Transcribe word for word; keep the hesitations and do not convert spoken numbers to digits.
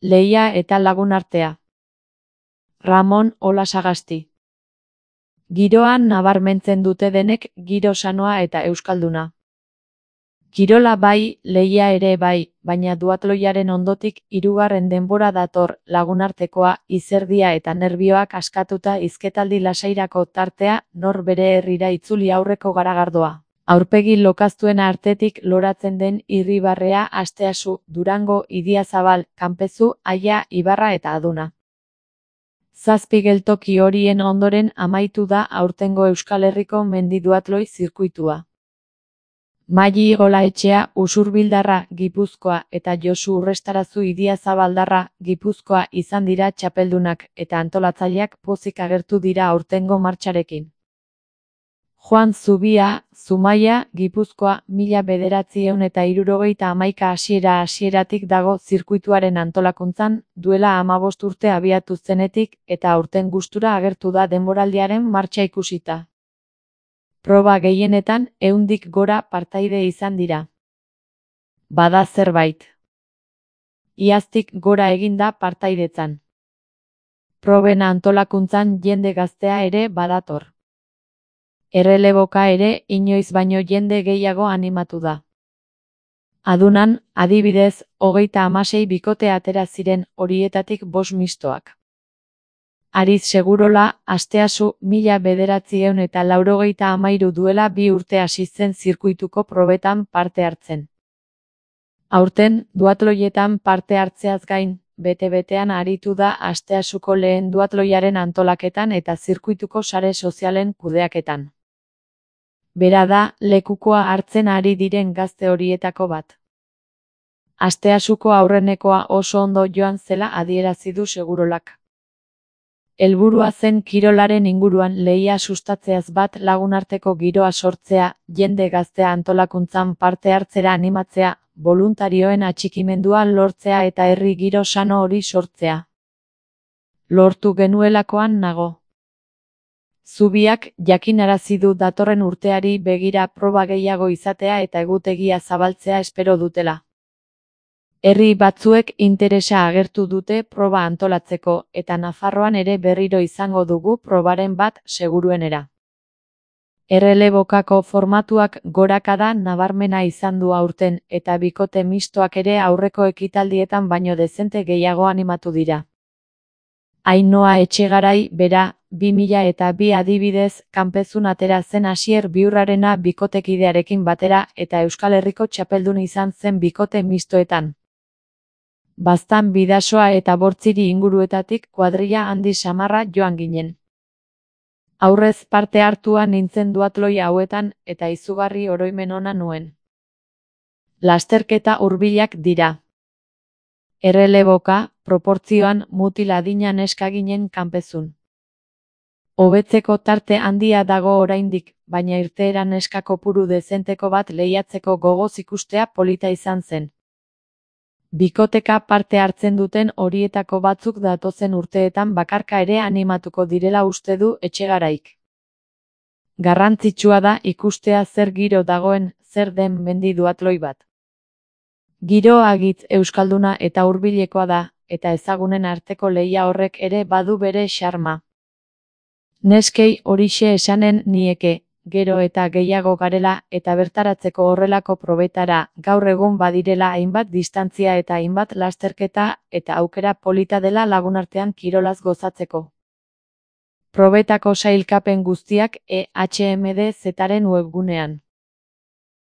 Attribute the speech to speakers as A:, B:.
A: Lehia eta Lagunartea. Ramon Olasagasti. Giroan nabarmentzen dute denek giro sanoa eta euskalduna. Kirola bai, lehia ere bai, baina duatloiaren ondotik hirugarren denbora dator Lagunartekoa, izerdia eta nerbioak askatuta hizketaldi lasairako tartea, nor bere herrira itzuli aurreko garagardoa. Aurpegi lokaztuen artetik loratzen den Irribarrea, Asteasu, Durango, Idiazabal, Kanpezu, Aia, Ibarra eta Aduna. Zazpi geltoki horien ondoren amaitu da aurtengo Euskal Herriko mendi duatloi zirkuitua. Maili Olaetxea, Usurbildarra, Gipuzkoa eta Josu Urrestarazu Idiazabaldarra, Gipuzkoa izan dira txapeldunak eta antolatzaileak pozik agertu dira aurtengo martxarekin. Juan Zubia, Zumaia, Gipuzkoa, mila bederatziehun eta hirurogeita hamaika hasiera hasieratik dago zirkuituaren antolakuntzan, duela hamabost urte abiatu zenetik eta aurten gustura agertu da denboraldiaren martxa ikusita. Proba gehienetan ehundik gora partaide izan dira. Bada zerbait. Iaztik gora eginda partaidetzan. Proben antolakuntzan jende gaztea ere badator. Erreleboka ere inoiz baino jende gehiago animatu da. Adunan, adibidez, hogeita hamasei bikote atera ziren, horietatik bost mistoak. Ariz Segurola, Asteasu, mila bederatziehun eta laurogeita hamairu duela bi urte hasi zen zirkuituko probetan parte hartzen. Aurten, duatloietan parte hartzeaz gain, bete-betean aritu da Asteasuko lehen duatloiaren antolaketan eta zirkuituko sare sozialen kudeaketan. Bera da, lekukoa hartzen ari diren gazte horietako bat. Asteasuko aurrenekoa oso ondo joan zela adierazi du Segurolak. Helburua zen kirolaren inguruan lehia sustatzeaz bat Lagunarteko giroa sortzea, jende gaztea antolakuntzan parte hartzera animatzea, boluntarioen atxikimendua lortzea eta herri giro sano hori sortzea. Lortu genuelakoan nago. Zubiak jakinarazi du datorren urteari begira proba gehiago izatea eta egutegia zabaltzea espero dutela. Herri batzuek interesa agertu dute proba antolatzeko eta Nafarroan ere berriro izango dugu probaren bat seguruenera. Errelebokako formatuak gorakada nabarmena izan du aurten eta bikote mistoak ere aurreko ekitaldietan baino dezente gehiago animatu dira. Ainhoa Etxegarai, bera, bi mila eta bi adibidez, Kanpezun atera zen Asier Biurrarena bikotekidearekin batera eta Euskal Herriko txapeldun izan zen bikote mistoetan. Baztan Bidasoa eta Bortziri inguruetatik kuadrilla handi samarra joan ginen. Aurrez parte hartua nintzen duatloi hauetan eta izugarri oroimen ona nuen. Lasterketa hurbilak dira. Erreleboka, proportzioan mutil adina neska ginen Kanpezun. Hobetzeko tarte handia dago oraindik, baina irteera neska kopuru dezenteko bat lehiatzeko gogoz ikustea polita izan zen. Bikoteka parte hartzen duten horietako batzuk datozen urteetan bakarka ere animatuko direla uste du Etxegaraik. Garrantzitsua da ikustea zer giro dagoen, zer den mendi duatloi bat. Giro agitz euskalduna eta hurbilekoa da, eta ezagunen arteko lehia horrek ere badu bere xarma. Neskei horixe esanen nieke, gero eta gehiago garela eta bertaratzeko horrelako probetara, gaur egun badirela hainbat distantzia eta hainbat lasterketa eta aukera polita dela Lagunartean kirolaz gozatzeko. Probetako sailkapen guztiak E H M D Zaren webgunean.